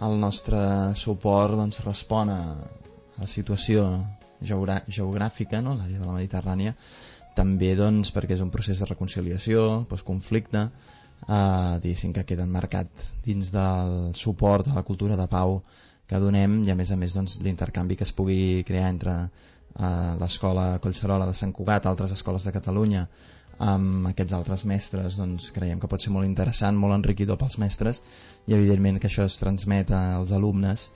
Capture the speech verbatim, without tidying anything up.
el nostre suport doncs, respon a la situació geogrà geogràfica, no? L'àrea de la Mediterrània, també doncs, perquè és un procés de reconciliació, postconflicte, eh, diguéssim que queda emmarcat dins del suport a la cultura de pau que donem, i a més a més doncs, l'intercanvi que es pugui crear entre eh, l'escola Collserola de Sant Cugat, altres escoles de Catalunya, amb aquests altres mestres, doncs creiem que pot ser molt interessant, molt enriquidor pels mestres, i evidentment que això es transmet als alumnes